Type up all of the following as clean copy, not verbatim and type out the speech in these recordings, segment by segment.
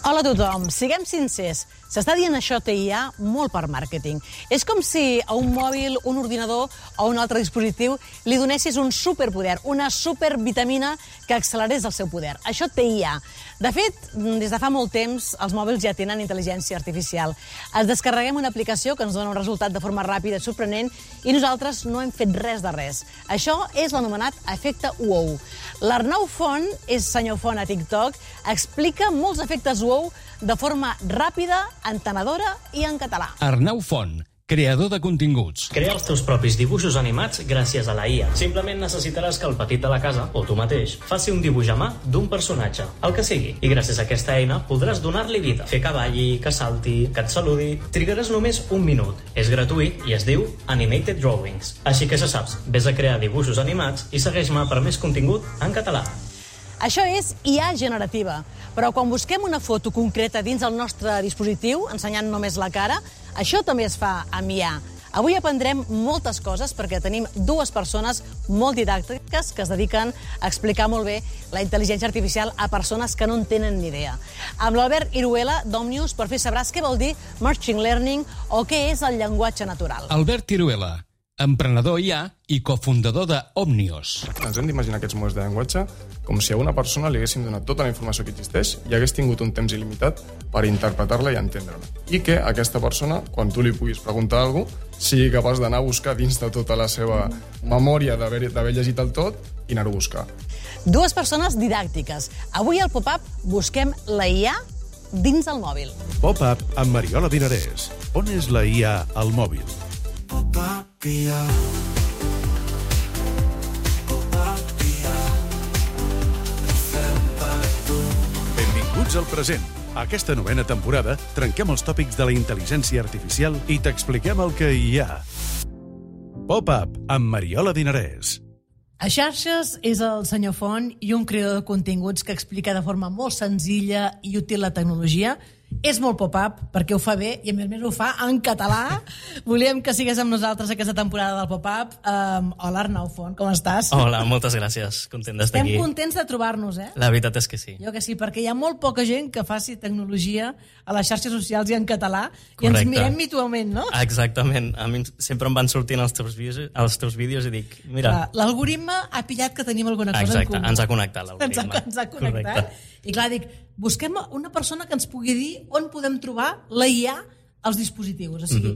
Hola a tothom, siguem sincers. S'està dient això TIA molt per màrqueting. És com si a un mòbil, un ordinador o un altre dispositiu li donessis un superpoder, una supervitamina que accelerés el seu poder. Això TIA. De fet, des de fa molt temps, els mòbils ja tenen intel·ligència artificial. Ens descarreguem una aplicació que ens dona un resultat de forma ràpida i sorprenent i nosaltres no hem fet res de res. Això és l'anomenat efecte wow. L'Arnau Font, és senyor Font a TikTok, explica molts efectes wow de forma ràpida, entenedora i en català. Arnau Font, creador de continguts. Crea els teus propis dibuixos animats gràcies a la IA. Simplement necessitaràs que el petit de la casa, o tu mateix, faci un dibuix a mà d'un personatge, el que sigui. I gràcies a aquesta eina podràs donar-li vida. Fer que balli, que salti, que et saludi. Trigaràs només un minut. És gratuït i es diu Animated Drawings. Així que ja saps, vés a crear dibuixos animats i segueix-me per més contingut en català. Això és IA generativa, però quan busquem una foto concreta dins el nostre dispositiu, ensenyant només la cara, això també es fa amb IA. Avui aprendrem moltes coses perquè tenim dues persones molt didàctiques que es dediquen a explicar molt bé la intel·ligència artificial a persones que no en tenen ni idea. Amb l'Albert Iruela, d'Òmnius, per fi sabràs què vol dir Machine Learning o què és el llenguatge natural. Albert Iruela, emprenedor IA i cofundador d'Òmnius. Ens hem d'imaginar aquests models de llenguatge com si a una persona li haguéssim donat tota la informació que existeix i hagués tingut un temps il·limitat per interpretar-la i entendre-la. I que aquesta persona, quan tu li puguis preguntar alguna cosa, sigui capaç d'anar a buscar dins de tota la seva memòria d'haver llegit el tot i anar-ho a buscar. Dues persones didàctiques. Avui al Pop-Up busquem la IA dins el mòbil. Pop-Up amb Mariola Dinarès. On és la IA al mòbil? Pop-Up IA. Benvinguts al present. A aquesta novena temporada trenquem els tòpics de la intel·ligència artificial i t'expliquem el que hi ha. Pop-Up amb Mariola Dinarès. A xarxes és el senyor Font i un creador de continguts que explica de forma molt senzilla i útil la tecnologia. És molt pop-up perquè ho fa bé i a més ho fa en català. Volíem que sigués amb nosaltres aquesta temporada del pop-up. Hola Arnau Font, com estàs? Hola, moltes gràcies. Content d'estar aquí. Estem contents de trobar-nos, eh? La veritat és que sí. Jo que sí, perquè hi ha molt poca gent que faci tecnologia a les xarxes socials i en català. Correcte. I ens mirem mutuament, no? Exactament. A mi sempre em van sortint els teus vídeos i dic, mira... L'algoritme ha pillat que tenim alguna cosa en comú. Exacte, ens ha connectat l'algoritme. Ens ha connectat. Correcte. I clar, dic, busquem una persona que ens pugui dir on podem trobar la IA als dispositius. O sigui,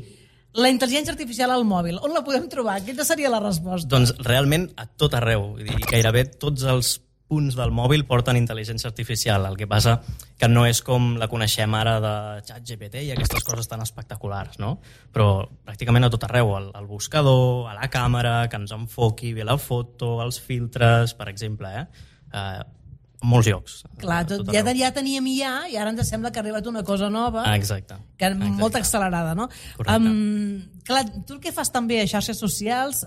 la intel·ligència artificial al mòbil, on la podem trobar? Quina seria la resposta? Doncs realment a tot arreu. Vull dir, gairebé tots els punts del mòbil porten intel·ligència artificial. El que passa que no és com la coneixem ara de ChatGPT i aquestes coses tan espectaculars, no? Però pràcticament a tot arreu. Al buscador, a la càmera, que ens enfoqui bé la foto, els filtres, per exemple, molts llocs. Clar, ja teníem IA i ara ens sembla que ha arribat una cosa nova. Exacte. Que molt accelerada, no? Clar, tu el que fas també a xarxes socials,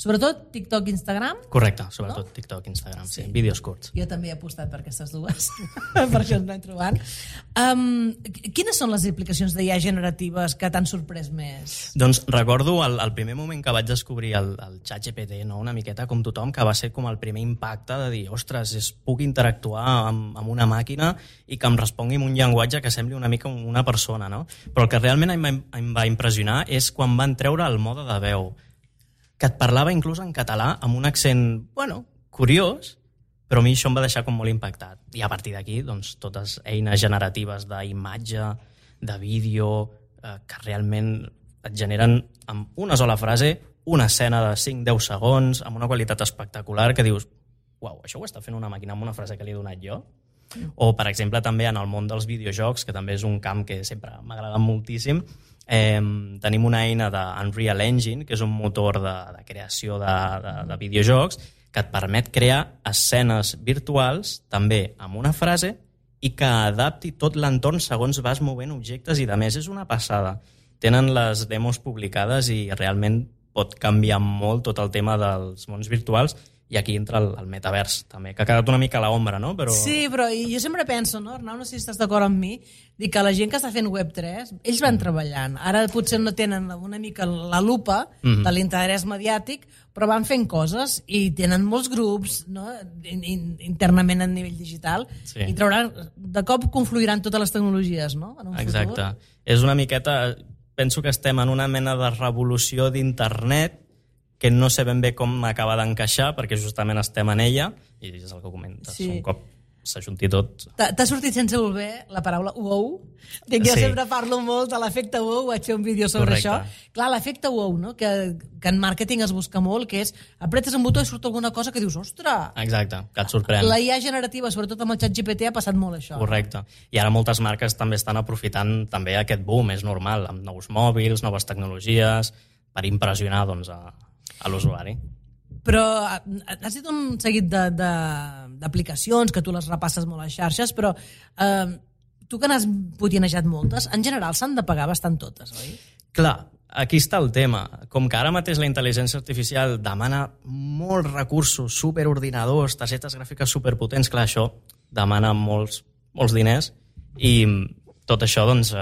sobretot TikTok i Instagram? Correcte, sobretot TikTok i Instagram, sí. Vídeos curts. Jo també he apostat per aquestes dues, per això ens anem trobant. Quines són les aplicacions d'IA generatives que t'han sorprès més? Doncs recordo el primer moment que vaig descobrir el ChatGPT, no? Una miqueta com tothom, que va ser com el primer impacte de dir, ostres, puc interactuar amb una màquina i que em respongui en un llenguatge que sembli una mica una persona, no? Però el que realment em va impressionar és quan van treure el mode de veu, que et parlava inclús en català amb un accent, curiós, però a mi això em va deixar com molt impactat. I a partir d'aquí, doncs, totes eines generatives d'imatge, de vídeo, que realment et generen amb una sola frase una escena de 5-10 segons, amb una qualitat espectacular, que dius, uau, això ho està fent una màquina amb una frase que li he donat jo? O, per exemple, també en el món dels videojocs, que també és un camp que sempre m'ha agradat moltíssim, tenim una eina d'Unreal Engine, que és un motor de creació de videojocs, que et permet crear escenes virtuals, també amb una frase, i que adapti tot l'entorn segons vas movent objectes, i de més és una passada. Tenen les demos publicades i realment pot canviar molt tot el tema dels mons virtuals, i aquí entra el metavers, també, que ha quedat una mica a l'ombra, no? Però... Sí, però jo sempre penso, no, Arnau, no sé si estàs d'acord amb mi, dic que la gent que està fent Web3, ells van treballant. Ara potser no tenen una mica la lupa de l'interès mediàtic, però van fent coses i tenen molts grups, no? Internament a nivell digital, i trauran, de cop confluiran totes les tecnologies, no? En un Exacte. És una miqueta... Penso que estem en una mena de revolució d'internet que no sé ben bé com acaba d'encaixar, perquè justament estem en ella, i és el que comentes, un cop s'ajunti tot... T'ha sortit sense voler la paraula wow? Jo sempre parlo molt de l'efecte wow, vaig fer un vídeo sobre això. Clar, l'efecte wow, no? que en màrqueting es busca molt, que és apretes un botó i surt alguna cosa que dius, ostres! Exacte, que et sorprèn. La IA generativa, sobretot amb el ChatGPT, ha passat molt això. Correcte. I ara moltes marques també estan aprofitant també aquest boom, és normal, amb nous mòbils, noves tecnologies, per impressionar doncs, a l'usuari. Però has dit un seguit d'aplicacions que tu les repasses molt a les xarxes, però tu que n'has putinejat moltes, en general s'han de pagar bastant totes, oi? Clar, aquí està el tema. Com que ara mateix la intel·ligència artificial demana molts recursos, superordinadors, targetes gràfiques superpotents, clar, això demana molts diners i tot això doncs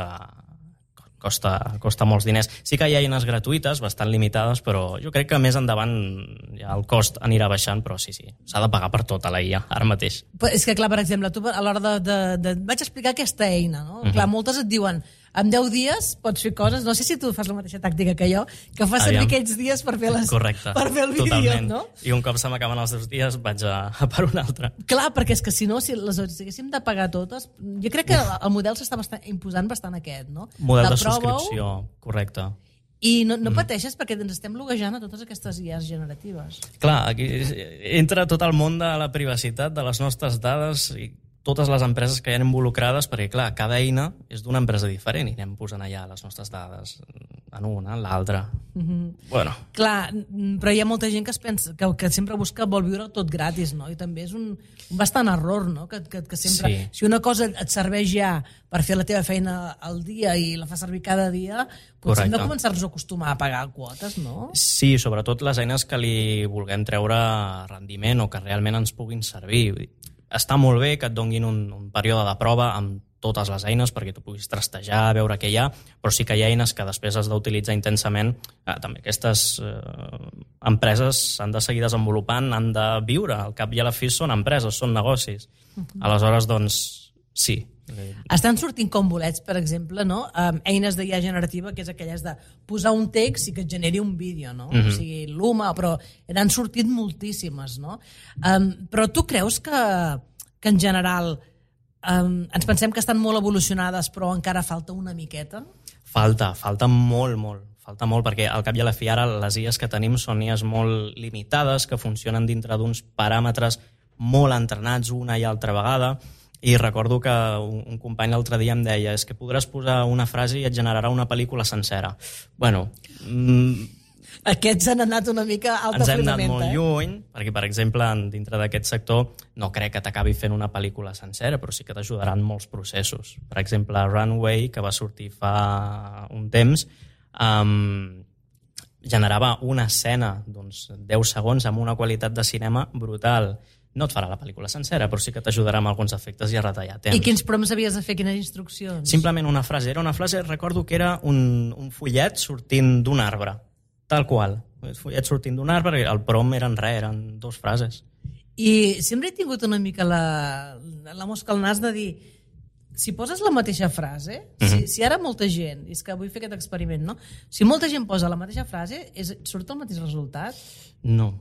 costa molts diners. Sí que hi ha eines gratuïtes, bastant limitades, però jo crec que més endavant ja el cost anirà baixant, però sí, s'ha de pagar per tota la IA, ara mateix. Però és que, clar, per exemple, tu a l'hora vaig explicar aquesta eina, no? Clar, moltes et diuen, en 10 dies pots fer coses, no sé si tu fas la mateixa tàctica que jo, que fas servir aquells dies per fer el vídeo, totalment. No? I un cop se m'acaben els 2 dies vaig a per un altre. Clar, perquè és que si no, si les haguéssim de pagar totes, jo crec que el model s'està imposant bastant aquest, no? Model de subscripció, correcte. I no pateixes perquè ens estem loguejant a totes aquestes IAs generatives. Clar, aquí entra tot el món de la privacitat, de les nostres dades i totes les empreses que hi ha involucrades, perquè, clar, cada eina és d'una empresa diferent i anem posant allà les nostres dades en una, en l'altra. Bueno. Clar, però hi ha molta gent que es pensa que sempre vol viure tot gratis, no? I també és un bastant error, no? Que sempre... Si una cosa et serveix ja per fer la teva feina al dia i la fa servir cada dia, potser hem de començar-nos a acostumar a pagar quotes, no? Sí, sobretot les eines que li vulguem treure rendiment o que realment ens puguin servir. Està molt bé que et donguin un període de prova amb totes les eines perquè tu puguis trastejar, veure què hi ha, però sí que hi ha eines que després has d'utilitzar intensament. També aquestes empreses s'han de seguir desenvolupant, han de viure. Al cap i a la fi són empreses, són negocis. Aleshores, doncs, sí. Estan sortint com bolets, per exemple, no? Eines d'IA generativa, que és aquelles de posar un text i que et generi un vídeo, no? O sigui, Luma, però n'han sortit moltíssimes, no? Però tu creus que en general ens pensem que estan molt evolucionades però encara falta una miqueta? Falta molt. Falta molt, perquè al cap i a la fi ara les IAs que tenim són IAs molt limitades, que funcionen dintre d'uns paràmetres molt entrenats una i altra vegada. I recordo que un company l'altre dia em deia és que podràs posar una frase i et generarà una pel·lícula sencera. Bueno... Aquests han anat una mica alta ens hem anat molt lluny, perquè, per exemple, dintre d'aquest sector no crec que t'acabi fent una pel·lícula sencera, però sí que t'ajudaran molts processos. Per exemple, Runway, que va sortir fa un temps, generava una escena d'uns 10 segons amb una qualitat de cinema brutal. No et farà la pel·lícula sencera, però sí que t'ajudarà amb alguns efectes i a retallar temps. I quins prompts havies de fer, quines instruccions? Simplement una frase. Era una frase, recordo que era un follet sortint d'un arbre, tal qual. El follet sortint d'un arbre, el prompt eren 2 frases. I sempre he tingut una mica la mosca al nas de dir, si poses la mateixa frase, si ara molta gent, i és que vull fer aquest experiment, no? Si molta gent posa la mateixa frase, surt el mateix resultat? No.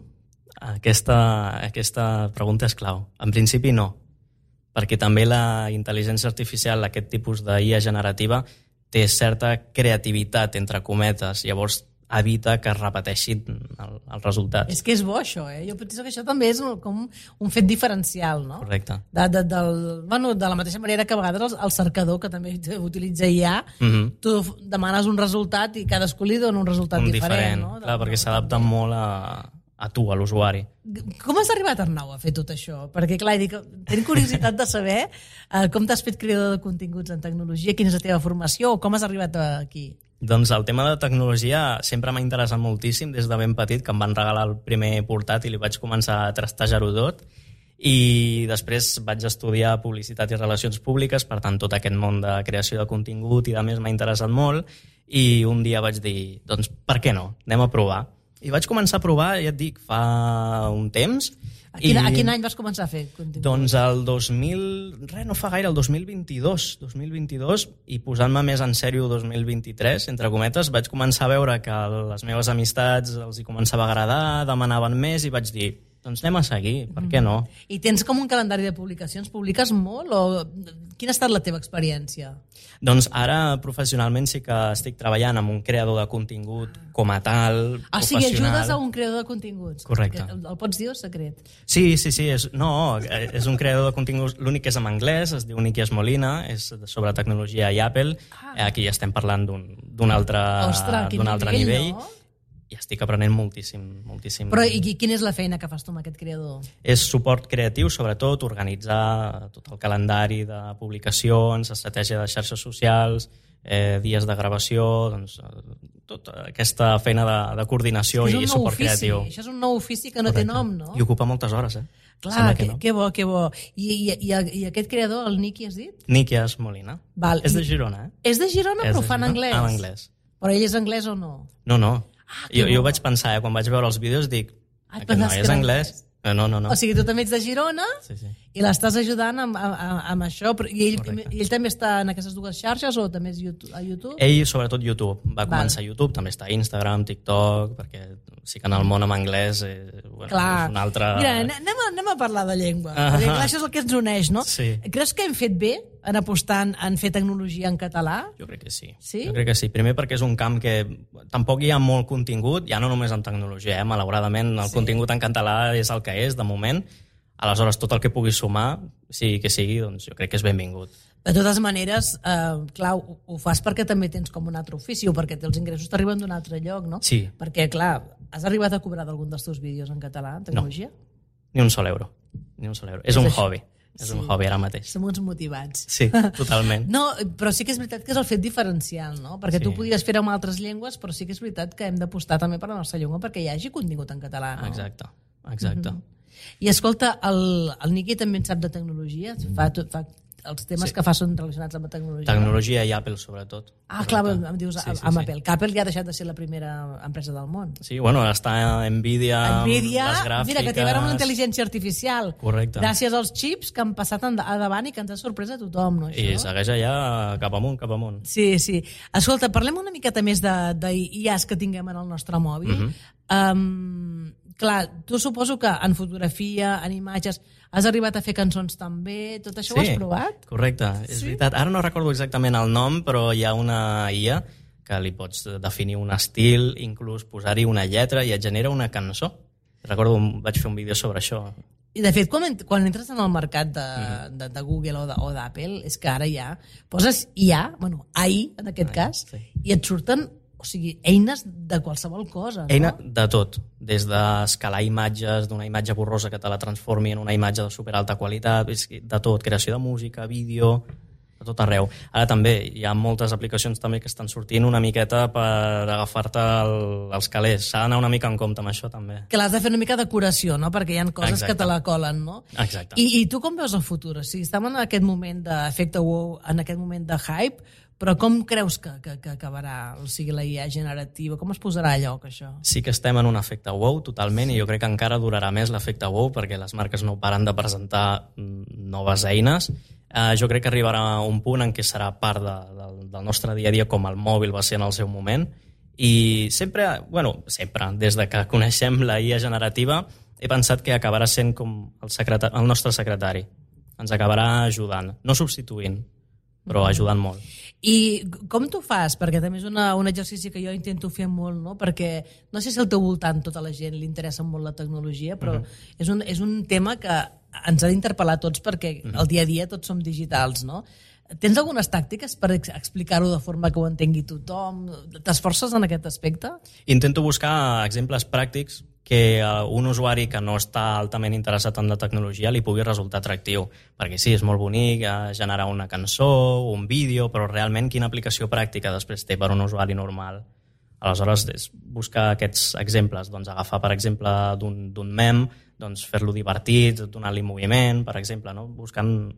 Aquesta pregunta és clau. En principi no, perquè també la intel·ligència artificial, aquest tipus d'IA generativa, té certa creativitat, entre cometes, llavors evita que es repeteixin els resultats. És que és bo això, Jo penso que això també és com un fet diferencial, no? Correcte. De la mateixa manera que a vegades el cercador, que també utilitza IA, tu demanes un resultat i cadascú li dona un resultat diferent, no? Clar, perquè s'adapta molt a tu, a l'usuari. Com has arribat, Arnau, a fer tot això? Perquè, clar, tinc curiositat de saber com t'has fet creador de continguts en tecnologia, quina és la teva formació o com has arribat aquí? Doncs el tema de tecnologia sempre m'ha interessat moltíssim des de ben petit, que em van regalar el primer portàtil i vaig començar a trastejar-ho tot. I després vaig estudiar publicitat i relacions públiques, per tant tot aquest món de creació de contingut i de més m'ha interessat molt, i un dia vaig dir, doncs per què no? Anem a provar. I vaig començar a provar, ja et dic, fa un temps. A quin any vas començar a fer contingut? Doncs el 2022, i posant-me més en sèrio 2023, entre cometes, vaig començar a veure que les meves amistats els hi començava a agradar, demanaven més, i vaig dir, doncs anem a seguir, per què no? I tens com un calendari de publicacions? Publiques molt o quina ha estat la teva experiència? Doncs ara professionalment sí que estic treballant amb un creador de contingut com a tal, professional. O sigui, ajudes a un creador de continguts. Correcte. El pots dir o secret? Sí, és un creador de continguts, l'únic que és en anglès, es diu Nikias Molina, és sobre tecnologia i Apple. Aquí ja estem parlant d'un altre nivell. No? I estic aprenent moltíssim. Però i quina és la feina que fas tu amb aquest creador? És suport creatiu, sobretot, organitzar tot el calendari de publicacions, estratègia de xarxes socials, dies de gravació, doncs, tota aquesta feina de coordinació i suport creatiu. Això és un nou ofici que no té nom, no? I ocupa moltes hores, Clar, que bo. I aquest creador, el Niki, has dit? Nikias Molina. És de Girona, És de Girona, però ho fa en anglès? En anglès. Però ell és anglès o no? No. Jo vaig pensar, quan vaig veure els vídeos, dic, aquest noi és anglès. No. O sigui, tu també ets de Girona i l'estàs ajudant amb això. I ell també està en aquestes dues xarxes o també és a YouTube? Ell, sobretot, YouTube. Va començar a YouTube, també està a Instagram, TikTok, perquè sí que en el món en anglès és un altre... Mira, anem a parlar de llengua, perquè clar, això és el que ens uneix, no? Sí. Creus que hem fet bé en apostar en fer tecnologia en català? Jo crec que sí. Sí? Jo crec que sí. Primer perquè és un camp que tampoc hi ha molt contingut, ja no només en tecnologia, malauradament el contingut en català és el que és, de moment. Aleshores, tot el que pugui sumar, sigui que sigui, doncs jo crec que és benvingut. De totes maneres, clar, ho fas perquè també tens com un altre ofici o perquè els ingressos t'arriben d'un altre lloc, no? Sí. Perquè, clar, has arribat a cobrar d'algun dels teus vídeos en català, en tecnologia? No, ni un sol euro. És un hobby. És un hobby ara mateix. Som uns motivats. Sí, totalment. No, però sí que és veritat que és el fet diferencial, no? Perquè tu podries fer-ho amb altres llengües, però sí que és veritat que hem d'apostar també per la nostra llengua perquè hi hagi contingut en català, no? Exacte. I escolta, el Niki també en sap de tecnologia? Fa els temes que fa són relacionats amb la tecnologia. Tecnologia i Apple, sobretot. Clar, em dius amb Apple. Que Apple ja ha deixat de ser la primera empresa del món. Sí, bueno, està Nvidia les gràfiques... Mira, que té a veure amb la intel·ligència artificial. Correcte. Gràcies als xips que han passat a davant i que ens ha sorprès a tothom, no? I segueix allà cap amunt. Sí. Escolta, parlem una miqueta més d'IAs que tinguem en el nostre mòbil. Clar, tu suposo que en fotografia, en imatges, has arribat a fer cançons també, tot això ho has provat? Correcte, és veritat. Ara no recordo exactament el nom, però hi ha una IA que li pots definir un estil, inclús posar-hi una lletra i et genera una cançó. Recordo, vaig fer un vídeo sobre això. I de fet, quan entres en el mercat de Google o d'Apple, és que ara ja poses IA, AI en aquest cas, i et surten eines de qualsevol cosa, no? Eina de tot, des d'escalar imatges d'una imatge borrosa que te la transformi en una imatge de superalta qualitat, de tot, creació de música, vídeo, de tot arreu. Ara també hi ha moltes aplicacions també que estan sortint una miqueta per agafar-te els calés. S'ha d'anar una mica en compte amb això també. Que l'has de fer una mica de curació, no? Perquè hi ha coses que te la colen, no? Exacte. I tu com veus el futur? O sigui, estem en aquest moment d'efecte wow, en aquest moment de hype, però com creus que acabarà, o sigui, la IA generativa? Com es posarà a lloc, això? Sí que estem en un efecte wow, totalment, i jo crec que encara durarà més l'efecte wow, perquè les marques no paren de presentar noves eines. Jo crec que arribarà un punt en què serà part del nostre dia a dia, com el mòbil va ser en el seu moment, i sempre, des de que coneixem la IA generativa, he pensat que acabarà sent com el nostre secretari. Ens acabarà ajudant, no substituint, però ajudant molt. I com t'ho fas? Perquè també és un exercici que jo intento fer molt, no? Perquè no sé si al teu voltant tota la gent li interessa molt la tecnologia, però és un tema que ens ha d'interpel·lar tots perquè el dia a dia tots som digitals, no? Tens algunes tàctiques per explicar-ho de forma que ho entengui tothom? T'esforces en aquest aspecte? Intento buscar exemples pràctics que un usuari que no està altament interessat en la tecnologia li pugui resultar atractiu. Perquè sí, és molt bonic generar una cançó, un vídeo, però realment quina aplicació pràctica després té per un usuari normal? Aleshores, és buscar aquests exemples. Doncs agafar, per exemple, d'un mem, doncs fer-lo divertit, donar-li moviment, per exemple, no? Buscant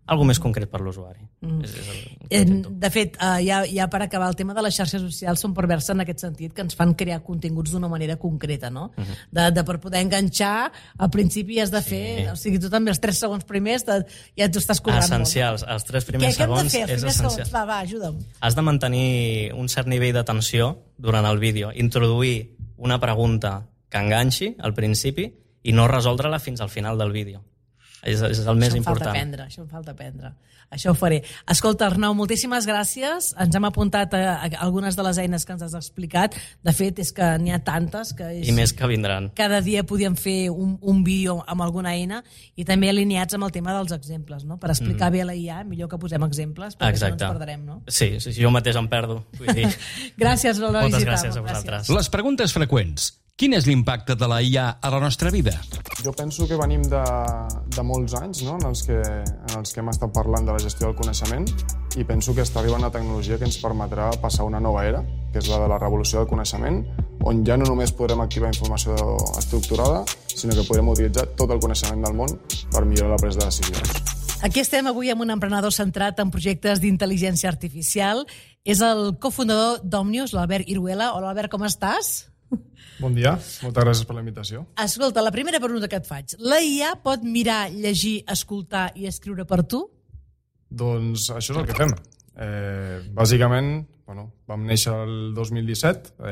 algo més concret per l'usuari. De fet, ja per acabar, el tema de les xarxes socials són perverses en aquest sentit, que ens fan crear continguts d'una manera concreta, no? Per poder enganxar, al principi has de fer, o sigui, tu també els 3 segons primers ja t'ho estàs currant molt. Essencials, els 3 primers segons és essencial. Va, ajuda'm. Has de mantenir un cert nivell d'atenció durant el vídeo, introduir una pregunta que enganxi al principi i no resoldre-la fins al final del vídeo. És el més important. Això em falta aprendre. Això ho faré. Escolta, Arnau, moltíssimes gràcies. Ens hem apuntat a algunes de les eines que ens has explicat. De fet, és que n'hi ha tantes que... I més que vindran. Cada dia podíem fer un vídeo amb alguna eina i també alineats amb el tema dels exemples, no? Per explicar bé la IA, millor que posem exemples, perquè no ens perdrem, no? Sí, jo mateix em perdo. Vull dir... Gràcies per la visita. Moltes gràcies a vosaltres. Les preguntes freqüents. Quin és l'impacte de la IA a la nostra vida? Jo penso que venim de molts anys, no? en els que hem estat parlant de la gestió del coneixement, i penso que està arribant la tecnologia que ens permetrà passar una nova era, que és la de la revolució del coneixement, on ja no només podrem activar informació estructurada, sinó que podrem utilitzar tot el coneixement del món per millorar la presa de decisions. Aquí estem avui amb un emprenedor centrat en projectes d'intel·ligència artificial. És el cofundador d'Omnius, l'Albert Iruela. Hola, Albert, com estàs? Bon dia, moltes gràcies per la invitació. Escolta, la primera pregunta que et faig. La IA pot mirar, llegir, escoltar i escriure per tu? Doncs això és el que fem. Bàsicament, vam néixer el 2017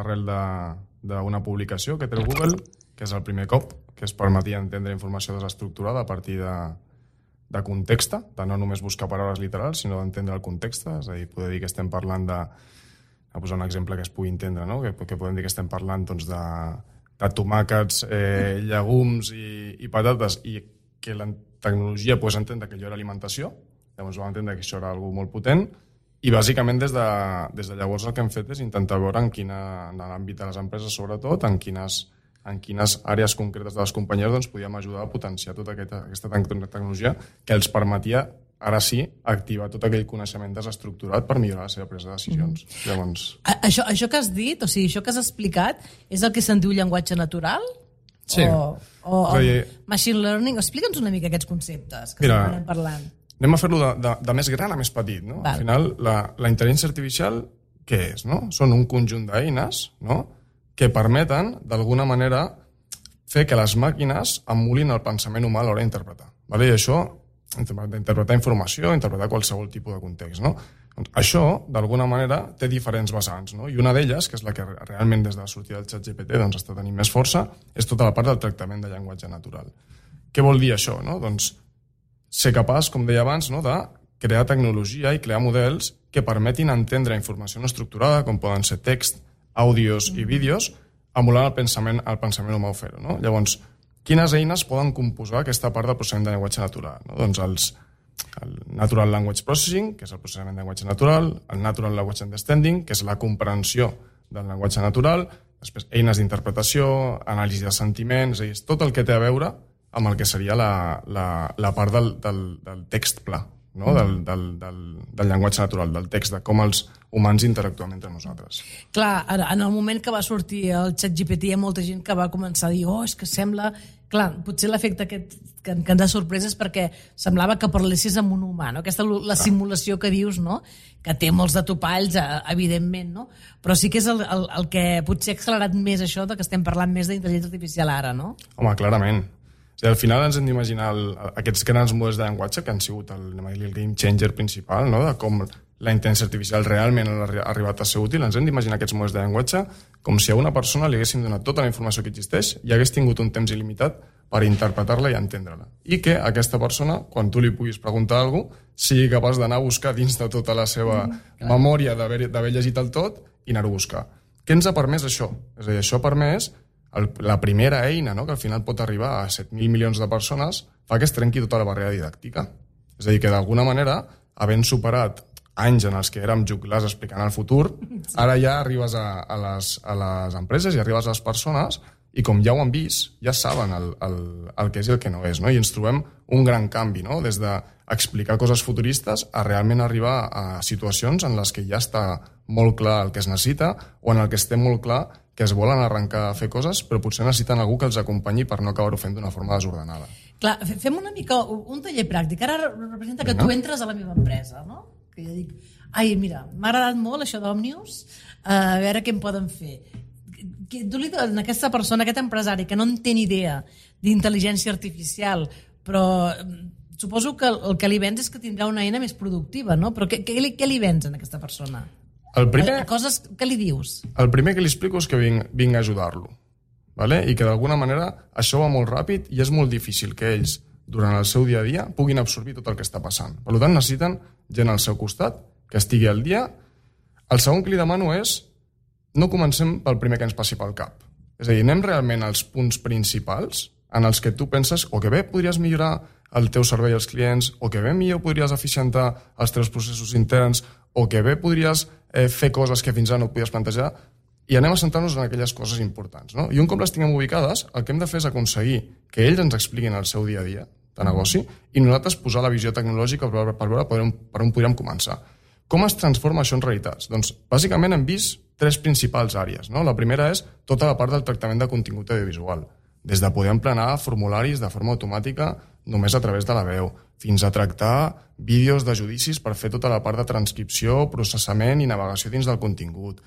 arrel d'una publicació que té el Google, que és el primer cop que es permetia entendre informació desestructurada a partir de context, de no només buscar paraules literals, sinó d'entendre el context, és a dir, poder dir que estem parlant a posar un exemple que es pugui entendre, no? Que podem dir que estem parlant doncs, de tomàquets, llegums i patates, i que la tecnologia pogués entendre que allò era alimentació. Llavors vam entendre que això era algo molt potent, i bàsicament des de llavors el que hem fet és intentar veure en l'àmbit de les empreses, sobretot, en quines àrees concretes de les companyies doncs, podíem ajudar a potenciar tota aquesta tecnologia que els permetia, ara sí, activar tot aquell coneixement desestructurat per millorar la seva presa de decisions. Llavors... Això que has dit, o sigui, això que has explicat, és el que se'n diu llenguatge natural? Sí. O machine learning? Explica'ns una mica aquests conceptes que estem parlant. Anem a fer-lo de més gran a més petit. No? Al final, la intel·ligència artificial, què és? No? Són un conjunt d'eines, no? Que permeten, d'alguna manera, fer que les màquines emulin el pensament humà a l'hora d'interpretar. I això, d'interpretar informació, interpretar qualsevol tipus de context. No? Doncs això, d'alguna manera, té diferents vessants. No? I una d'elles, que és la que realment des de la sortida del ChatGPT doncs, està tenint més força, és tota la part del tractament de llenguatge natural. Què vol dir això? No? Doncs ser capaç, com deia abans, no? de crear tecnologia i crear models que permetin entendre informació no estructurada, com poden ser text, àudios i vídeos, emulant el pensament humà o fer-ho. No? Llavors, quines eines poden composar aquesta part del processament de llenguatge natural? No? Doncs el Natural Language Processing, que és el processament de llenguatge natural, el Natural Language Understanding, que és la comprensió del llenguatge natural, després eines d'interpretació, anàlisi de sentiments, és tot el que té a veure amb el que seria la part del text pla, no? del llenguatge natural, del text, de com els humans interactuem entre nosaltres. Clar, en el moment que va sortir el ChatGPT hi ha molta gent que va començar a dir és que sembla... Clar, potser l'efecte aquest que ens ha sorprès és perquè semblava que parlessis amb un humà, no? Aquesta la simulació que dius, no? Que té molts de topalls, evidentment, no? Però sí que és el que potser ha accelerat més això de que estem parlant més d'intel·ligència artificial ara, no? Home, clarament. O sigui, al final ens hem d'imaginar aquests grans models de llenguatge que han sigut el game changer principal, no? De com la intel·ligència artificial realment ha arribat a ser útil. Ens hem d'imaginar aquests models de llenguatge com si a una persona li haguéssim donat tota la informació que existeix i hagués tingut un temps il·limitat per interpretar-la i entendre-la. I que aquesta persona, quan tu li puguis preguntar alguna cosa, sigui capaç d'anar a buscar dins de tota la seva memòria d'haver llegit el tot i anar-ho a buscar. Què ens ha permès això? És a dir, això ha permès la primera eina, no? Que al final pot arribar a 7.000 milions de persones, fa que es trenqui tota la barrera didàctica. És a dir, que d'alguna manera, havent superat anys en els que érem juglars explicant el futur, ara ja arribes a les empreses i arribes a les persones i com ja ho han vist, ja saben el que és i el que no és, no? I ens trobem un gran canvi, no? Des d'explicar coses futuristes a realment arribar a situacions en les que ja està molt clar el que es necessita o en el que estem molt clar que es volen arrencar a fer coses, però potser necessiten algú que els acompanyi per no acabar-ho fent d'una forma desordenada. Clar, fem una mica un taller pràctic. Ara representa que tu entres a la meva empresa, no? Que jo dic, ai, mira, m'ha agradat molt això d'Òmnius, a veure què em poden fer. Tu li dones a aquesta persona, a aquest empresari que no en té ni idea d'intel·ligència artificial, però suposo que el que li vens és que tindrà una eina més productiva, no? Però què li vens a aquesta persona? Coses que li dius? El primer que li explico és que vinc a ajudar-lo, ¿vale? I que d'alguna manera això va molt ràpid i és molt difícil que ells, durant el seu dia a dia, puguin absorbir tot el que està passant. Per tant, necessiten gent al seu costat, que estigui al dia. El segon que li demano és no comencem pel primer que ens passi pel cap. És a dir, anem realment als punts principals en els que tu penses o que bé podries millorar el teu servei als clients, o que bé millor podries eficientar els teus processos interns, o que bé podries fer coses que fins ara no et podies plantejar, i anem a centrar-nos en aquelles coses importants, no? I un cop les tinguem ubicades, el que hem de fer és aconseguir que ells ens expliquin el seu dia a dia de negoci i nosaltres posar la visió tecnològica per veure per on podríem començar. Com es transforma això en realitats? Doncs, bàsicament, hem vist 3 principals àrees, no? La primera és tota la part del tractament de contingut audiovisual, des de poder emplenar formularis de forma automàtica només a través de la veu, fins a tractar vídeos de judicis per fer tota la part de transcripció, processament i navegació dins del contingut.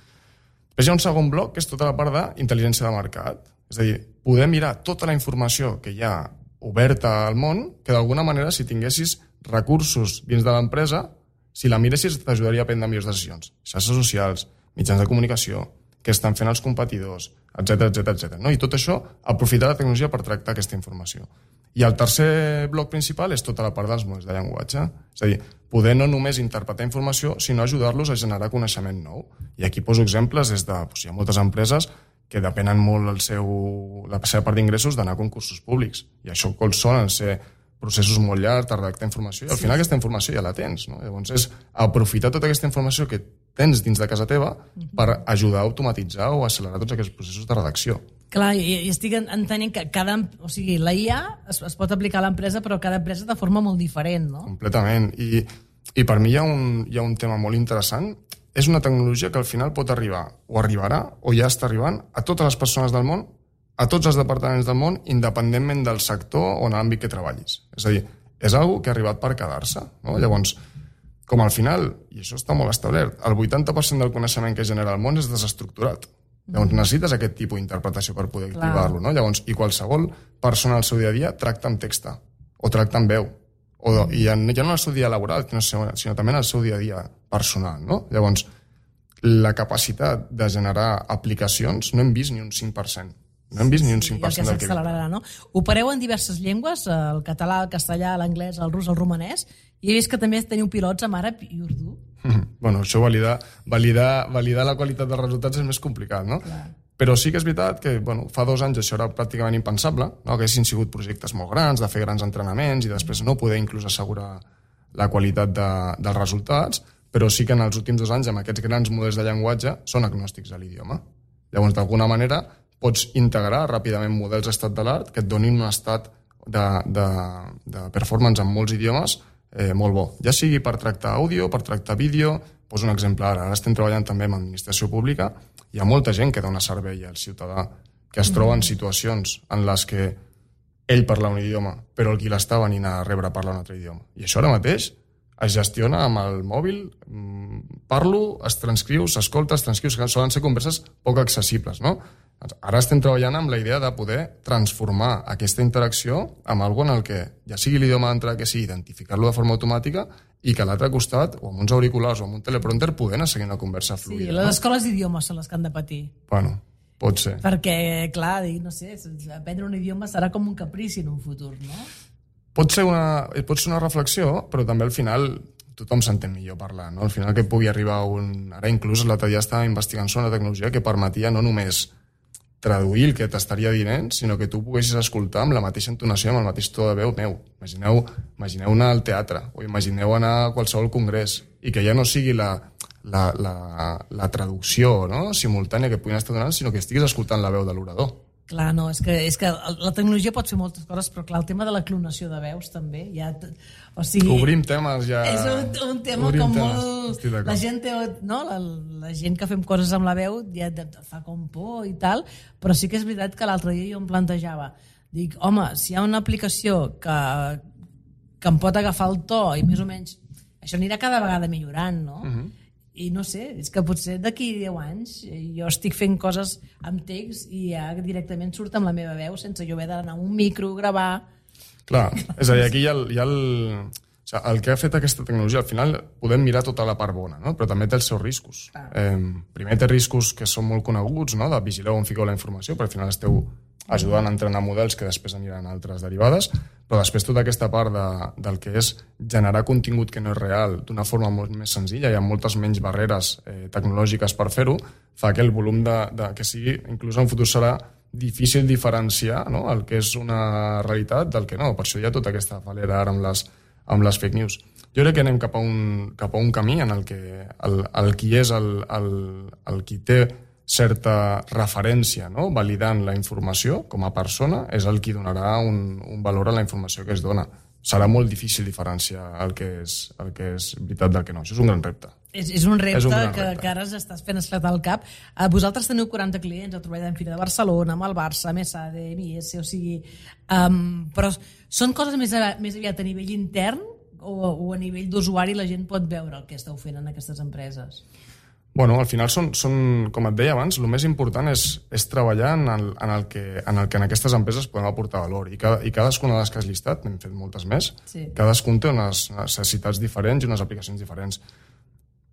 Després hi ha un segon bloc, que és tota la part d'intel·ligència de mercat. És a dir, poder mirar tota la informació que hi ha oberta al món, que d'alguna manera, si tinguessis recursos dins de l'empresa, si la miressis t'ajudaria a prendre millors decisions. Xarxes socials, mitjans de comunicació, què estan fent els competidors, etc. No? I tot això, aprofitar la tecnologia per tractar aquesta informació. I el tercer bloc principal és tota la part dels models de llenguatge. És a dir, poder no només interpretar informació, sinó ajudar-los a generar coneixement nou. I aquí poso exemples des de... Hi ha moltes empreses que depenen molt la seva part d'ingressos d'anar a concursos públics. I això solen ser processos molt llargs, de redactar informació, i al final aquesta informació ja la tens, no? Llavors és aprofitar tota aquesta informació que tens dins de casa teva per ajudar a automatitzar o accelerar tots aquests processos de redacció. Clar, i estic entenent que la IA es pot aplicar a l'empresa, però cada empresa de forma molt diferent, no? Completament. I per mi hi ha un tema molt interessant. És una tecnologia que al final pot arribar, o arribarà, o ja està arribant, a totes les persones del món, a tots els departaments del món, independentment del sector o en l'àmbit que treballis. És a dir, és una que ha arribat per quedar-se, no? Llavors, com al final, i això està molt establert, el 80% del coneixement que genera el món és desestructurat. Llavors necessites aquest tipus d'interpretació per poder activar-lo, no? Llavors, i qualsevol persona al seu dia a dia tracta amb text o tracta amb veu. I ja no en el seu dia laboral, sinó també en el seu dia a dia personal, no? Llavors, la capacitat de generar aplicacions no hem vist ni un 5%. No hem vist ni un 5% del que s'accelerarà, no? Opereu en diverses llengües, el català, el castellà, l'anglès, el rus, el romanès, i he vist que també teniu pilots amb àrab i urdu. Bueno, això validar la qualitat dels resultats és més complicat, no? Clar. Però sí que és veritat que fa 2 anys això era pràcticament impensable, no? Que haguessin sigut projectes molt grans, de fer grans entrenaments i després no poder inclús assegurar la qualitat dels resultats, però sí que en els últims 2 anys amb aquests grans models de llenguatge són agnòstics a l'idioma. Llavors, d'alguna manera, pots integrar ràpidament models estat de l'art que et donin un estat de performance en molts idiomes molt bo. Ja sigui per tractar àudio, per tractar vídeo. Poso un exemple ara. Ara estem treballant també amb administració pública. Hi ha molta gent que dona servei al ciutadà que es troba en situacions en les que ell parla un idioma, però el qui l'està venint a rebre parla un altre idioma. I això ara mateix es gestiona amb el mòbil, parlo, es transcriu, s'escolta, es transcriu, solen ser converses poc accessibles, no? Ara estem treballant amb la idea de poder transformar aquesta interacció amb alguna en el que ja sigui l'idioma d'entrada que sigui, identificar-lo de forma automàtica i que a l'altre costat, o amb uns auriculars o amb un teleprompter, poder anar seguint una conversa fluida. Sí, les escoles d'idiomes són les que han de patir. Bueno, pot ser. Perquè, clar, no sé, aprendre un idioma serà com un caprici en un futur, no? Pot ser una reflexió, però també al final tothom s'entén millor parlar, no? Al final que pugui arribar Ara inclús l'altre dia estava investigant sobre una tecnologia que permetia no només traduir el que t'estaria dient, sinó que tu poguessis escoltar amb la mateixa entonació, amb el mateix to de veu meu. Imagineu anar al teatre, o imagineu anar a qualsevol congrés, i que ja no sigui la traducció, no?, simultània que puguin estar donant, sinó que estiguis escoltant la veu de l'orador. Clar, no, és que la tecnologia pot fer moltes coses, però clar, el tema de la clonació de veus també, o sigui... Obrim temes ja... És un tema Obrim com temes. molt... Estic d'acord. La gent té, no? La gent que fem coses amb la veu ja et fa com por i tal, però sí que és veritat que l'altre dia jo em plantejava, dic, home, si hi ha una aplicació que em pot agafar el to i més o menys... Això anirà cada vegada millorant, no? I no sé, és que potser d'aquí 10 anys jo estic fent coses amb text i ja directament surt amb la meva veu sense jo haver d'anar a un micro, gravar... Clar, és a dir, aquí hi ha el... O sigui, el que ha fet aquesta tecnologia, al final podem mirar tota la part bona, no? Però també té els seus riscos. Primer té riscos que són molt coneguts, no? De vigilar on fiqueu la informació, perquè al final esteu ajudant a entrenar models que després aniran a altres derivades, però després tota aquesta part del que és generar contingut que no és real d'una forma molt més senzilla i amb moltes menys barreres tecnològiques per fer-ho, fa que el volum que sigui, inclús en futur serà difícil diferenciar, no? El que és una realitat del que no. Per això hi ha tota aquesta falera ara amb les fake news. Jo crec que anem cap a un camí en el que el qui és el qui té certa referència, no? Validant la informació com a persona és el qui donarà un valor a la informació que es dona. Serà molt difícil diferenciar el que és veritat del que no. Això és un gran repte. És un repte que ara estàs fent esclatar el cap. Vosaltres teniu 40 clients, heu treballat en Fira de Barcelona, amb el Barça, amb ESADE, MS, o sigui... però són coses més aviat a nivell intern o a nivell d'usuari la gent pot veure el que esteu fent en aquestes empreses? Bueno, al final són, com et deia abans, el més important és treballar en el que en aquestes empreses podem aportar valor. I cadascuna de les que has llistat, n'hem fet moltes més, cadascun té unes necessitats diferents i unes aplicacions diferents.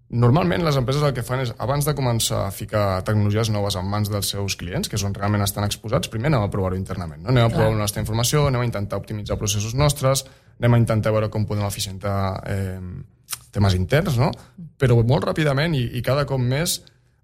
Normalment les empreses el que fan és, abans de començar a ficar tecnologies noves en mans dels seus clients, que és on realment estan exposats, primer anem a provar-ho internament. No? Anem a provar la nostra informació, anem a intentar optimitzar processos nostres, anem a intentar veure com podem eficientar temes interns, no? Però molt ràpidament i cada cop més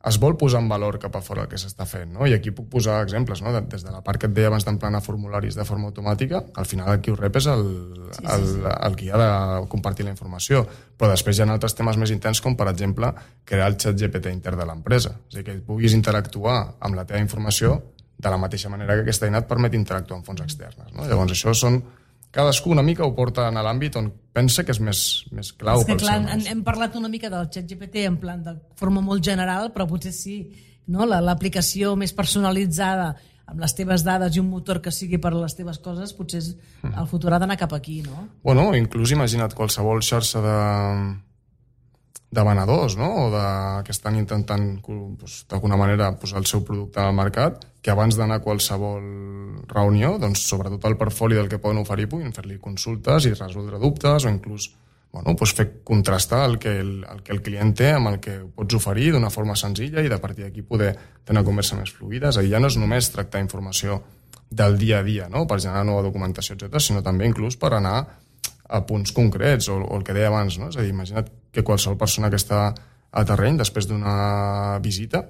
es vol posar en valor cap a fora el que s'està fent, no? I aquí puc posar exemples, no? Des de la part que et deia abans d'emplenar formularis de forma automàtica, al final el qui ho rep és el qui ha de compartir la informació, però després hi ha altres temes més intens com, per exemple, crear el xat GPT intern de l'empresa, és a dir, que puguis interactuar amb la teva informació de la mateixa manera que aquesta eina et permet interactuar amb fonts externes, no? Llavors això són... Cadascú una mica ho porta a l'àmbit on pensa que és més clau. És que clar, hem parlat una mica del ChatGPT en plan de forma molt general, però potser sí, no? L'aplicació més personalitzada amb les teves dades i un motor que sigui per a les teves coses, potser el futur ha d'anar cap aquí, no? Bueno, inclús imagina't qualsevol xarxa de venedors, no? O que estan intentant d'alguna manera posar el seu producte al mercat, que abans d'anar a qualsevol reunió, doncs sobretot el portfoli del que poden oferir puguin fer-li consultes i resoldre dubtes o inclús fer contrastar el que el client té amb el que pots oferir d'una forma senzilla i de partir d'aquí poder tenir una conversa més fluida. És a dir, ja no és només tractar informació del dia a dia, no? Per generar nova documentació, etc., sinó també inclús per anar a punts concrets o el que deia abans, no? És a dir, imagina't que qualsevol persona que està a terreny després d'una visita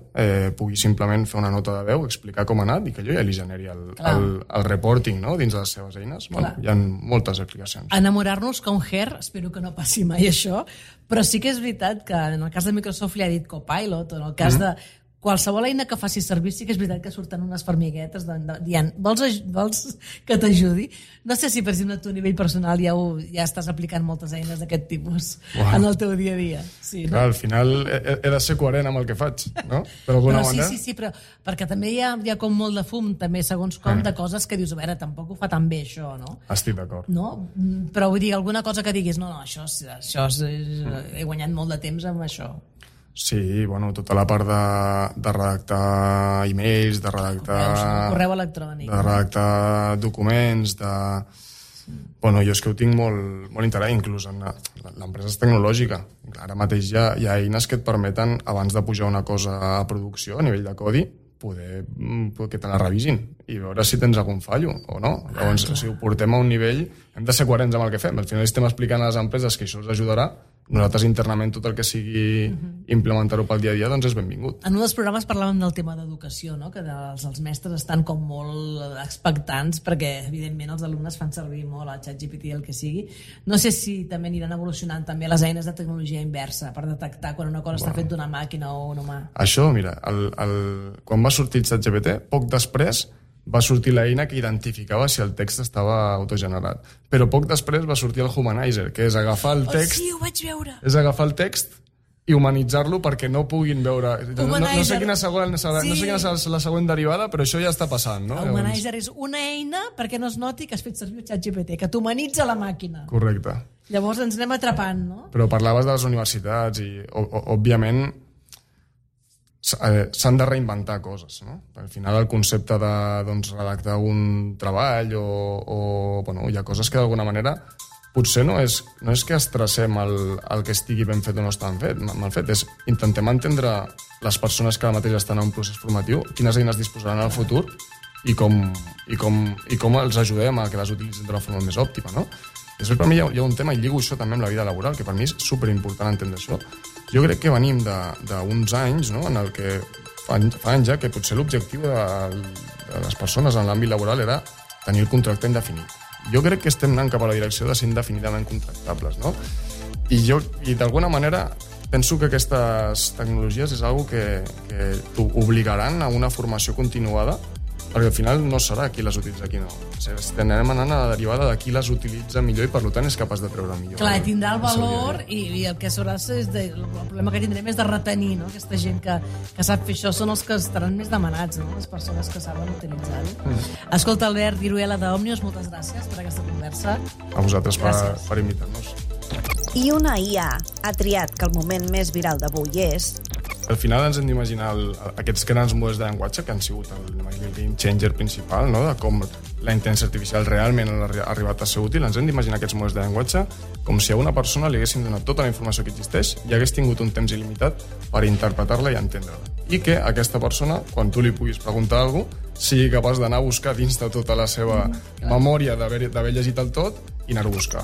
pugui simplement fer una nota de veu, explicar com ha anat i que allò ja li generi el reporting, no? Dins de les seves eines. Bueno, hi ha moltes aplicacions. Enamorar-nos com Her, espero que no passi mai això, però sí que és veritat que en el cas de Microsoft li ha dit Copilot, o en el cas de qualsevol eina que faci servir, sí que és veritat que surten unes formiguetes dient, vols que t'ajudi? No sé si, per exemple, tu a nivell personal ja estàs aplicant moltes eines d'aquest tipus en el teu dia a dia. Sí, no? Clar, al final he de ser coherent amb el que faig, no? Sí, però perquè també hi ha com molt de fum, també, segons com, de coses que dius, a veure, tampoc ho fa tan bé, això, no? Estic d'acord. No? Però vull dir, alguna cosa que diguis, no, això he guanyat molt de temps amb això. Sí, bueno, tota la part de redactar e-mails, de redactar... Correu electrònic. De redactar documents, Bueno, jo és que ho tinc molt interessant, inclús l'empresa és tecnològica. Ara mateix hi ha eines que et permeten, abans de pujar una cosa a producció, a nivell de codi, poder que te la revisin i veure si tens algun fallo o no. Llavors, si ho portem a un nivell, hem de ser coherents amb el que fem. Al final estem explicant a les empreses que això els ajudarà. Nosaltres internament tot el que sigui implementar-ho pel dia a dia doncs és benvingut. En un dels programes parlàvem del tema d'educació, no? Que els mestres estan com molt expectants perquè evidentment els alumnes fan servir molt el ChatGPT, el que sigui. No sé si també aniran evolucionant també les eines de tecnologia inversa per detectar quan una cosa està fet d'una màquina o un humà. Això, mira, quan va sortir el ChatGPT, poc després va sortir l'eina que identificava si el text estava autogenerat. Però poc després va sortir el Humanizer, que és agafar el text... Sí, ho vaig veure. És agafar el text i humanitzar-lo perquè no puguin veure... No sé quina és la següent derivada, però això ja està passant, no? El Humanizer és una eina perquè no es noti que has fet servir el ChatGPT, que t'humanitza la màquina. Correcte. Llavors ens anem atrapant, no? Però parlaves de les universitats i, òbviament, s'han de reinventar coses, no? Al final el concepte de redactar un treball bueno, hi ha coses que d'alguna manera potser no és que estressem el que estigui ben fet o no està mal fet, és intentem entendre les persones que ara mateix estan en un procés formatiu, quines eines disposaran al futur i com els ajudem a que les utilitzin d'una forma més òptima, no? Després, per mi, hi ha un tema, i lligo això també amb la vida laboral, que per mi és superimportant entendre això. Jo crec que venim d'uns anys, no?, en el que fa anys ja que potser l'objectiu de les persones en l'àmbit laboral era tenir el contracte indefinit. Jo crec que estem anant cap a la direcció de ser indefinidament contractables, no? I d'alguna manera penso que aquestes tecnologies és una que t'obligaran a una formació continuada, perquè al final no serà qui les utilitza, qui no. Estem anant a la derivada de qui les utilitza millor i per tant és capaç de treure millor. Clar, tindrà el valor i el que serà el problema que tindrem és de retenir, no? Aquesta gent que sap fer això són els que estaran més demanats, no? Les persones que saben utilitzar-ho. Escolta, Albert Viruela d'Òmnios, moltes gràcies per aquesta conversa. A vosaltres per invitar-nos. I una IA ha triat que el moment més viral d'avui és... Al final ens hem d'imaginar aquests grans models de llenguatge que han sigut el game changer principal, no?, de com la intel·ligència artificial realment ha arribat a ser útil. Ens hem d'imaginar aquests models de llenguatge com si a una persona li haguéssim donat tota la informació que existeix i hagués tingut un temps il·limitat per interpretar-la i entendre-la. I que aquesta persona, quan tu li puguis preguntar alguna cosa, sigui capaç d'anar a buscar dins de tota la seva memòria d'haver llegit el tot i anar-ho a buscar.